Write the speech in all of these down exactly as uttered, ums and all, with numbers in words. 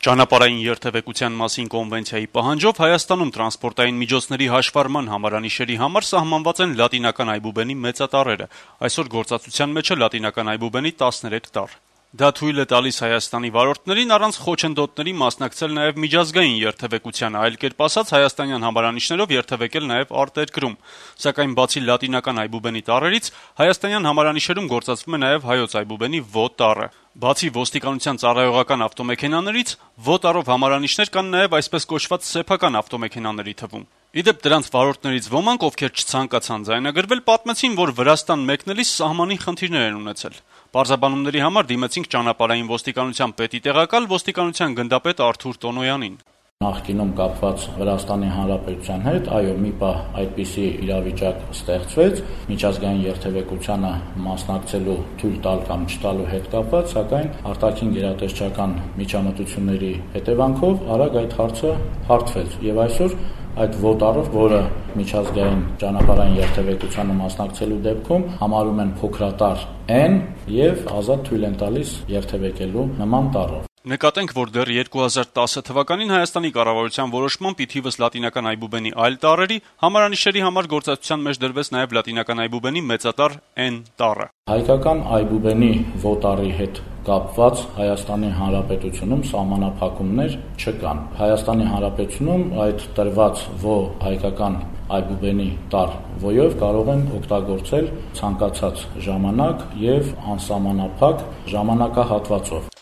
Ճանապարհային երթևեկության մասին կոնվենցիայի պահանջով Հայաստանում տրանսպորտային միջոցների հաշվառման համարանիշերի համար սահմանված են լատինական այբուբենի մեծատառերը: Այսօր գործածության մեջ է լատինական այբուբենի տասներեք տառ: Դա թույլ է տալիս Հայաստանի վարորդներին առանց խոչընդոտների մասնակցել նաեւ միջազգային երթեւեկությանը, այլ կերպ ասած, հայաստանյան համարանիշներով երթեւեկել նաեւ արտերկրում: Սակայն բացի լատինական այբուբենի տառերից, հայաստանյան համարանիշերում գործածվում է նաեւ հայոց այբուբենի Ո տառը: Բացի ոստիկանության ծառայողական ավտոմեքենաներից, Ո տառով համարանիշներ կան նաեւ այսպես կոչված սեփական ավտոմեքենաների թվում: Ի դեպ, դրանց վարորդներից ոմանք, ովքեր չցանկացան ձայնագրվել, պատմեցին, որ Վրաստան մեկնելիս սահմանին խնդիրներ են ունեցել: Պարզաբանումների համար դիմեցինք ճանապարհային ոստիկանության պետի տեղակալ, ոստիկանության գնդապետ Արթուր Տոնոյանին: Նախկինում կապված Վրաստանի Հանրապետության հետ, այո, մի պահ այդպիսի իրավիճակ ստեղծվեց միջազգային երթևեկությանը մասնակցելու թույլ տալ կամ չտալու հետ կապված, սակայն արտաքին գերատեսչական միջամտությունների հետևանքով արագ այդ հարցը հարթվեց եւ այսօր այդ Ո տառով, որը միջազգային ճանապարհային երթևեկությանը մասնակցելու դեպքում համարում են փոքրատառ N եւ ազատ թույլ են տալիս երթևեկելու նման տառով: Նկատենք, որ դեռ երկու հազար տասը թվականին Հայաստանի կառավարության որոշմամբ ի թիվս լատինական այբուբենի այլ տառերի համարանիշերի համար գործածության մեջ դրվեց նաեւ լատինական այբուբենի մեծատառ N տառը: Հայկական այբուբենի Ո տառի հետ կապված Հայաստանի Հանրապետությունում սահմանափակումներ չկան: Հայաստանի Հանրապետությունում այդ տրված Ո հայկական այբուբենի տառ Ո-ով կարող են օգտագործել ցանկացած ժամանակ եւ անսահմանափակ ժամանակահատվածով: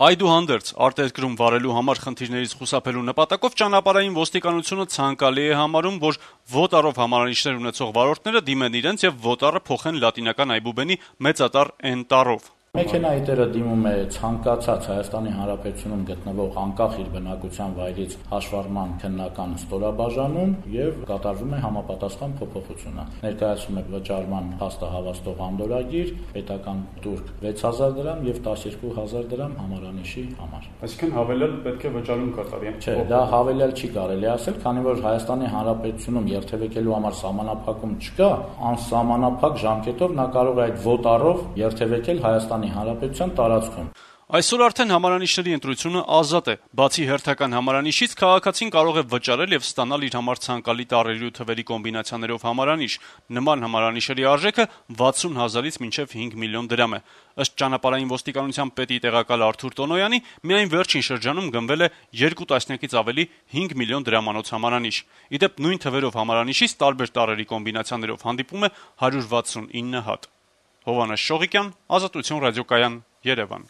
Այդուհանդերձ, արտերկրում վարելու համար խնդիրներից խուսափելու նպատակով ճանապարհային ոստիկանությունը ցանկալի է համարում, որ Ո տառով համարանիշներ ունեցող վարորդները դիմեն իրենց եւ Ո տառը փոխեն լատինական այբուբենի մեծատառ N տառով: Մեքենայի տերը դիմում է ցանկացած Հայաստանի Հանրապետությունում գտնվող անկախ իր բնակության վայրից հաշվառման քննական ստորաբաժանում եւ կատարվում է համապատասխան փոփոխությունը: Ներկայացվում է վճարման փաստը հավաստող անդորրագիր, պետական տուրք վեց հազար դրամ եւ տասներկու հազար դրամ համարանիշի համար: Այսինքն հավելյալ պետք է վճարում կատարի: Չէ, դա հավելյալ չի կարելի ասել, քանի որ Հայաստանի Հանրապետությունում երթևեկելու համար սահմանափակում չկա, անսահմանափակ ժամկետով նա կարող է այդ Ո տառով երթևեկել Հայաստանի Հանրապետության տարածքում: Այսօր արդեն համարանիշների ընտրությունը ազատ է: Բացի հերթական համարանիշից, քաղաքացին կարող է վճարել եւ ստանալ իր համար ցանկալի տառերի ու թվերի կոմբինացիաներով համարանիշ: Նման համարանիշերի արժեքը վաթսուն հազարից մինչեւ հինգ միլիոն դրամ է: Ըստ ճանապարհային ոստիկանության պետի տեղակալ Արթուր Տոնոյանի, միայն վերջին շրջանում գնվել է երկու տասնյակից ավելի հինգ միլիոն դրամանոց համարանիշ: Ի դեպ, նույն թվերով համարանիշից տարբեր տառերի կոմբինացիաներով հանդիպում է հարյուր վաթսունինը հատ: Հովհաննես Շողիկյան, Ազատություն ռադիոկայան, Երեւան: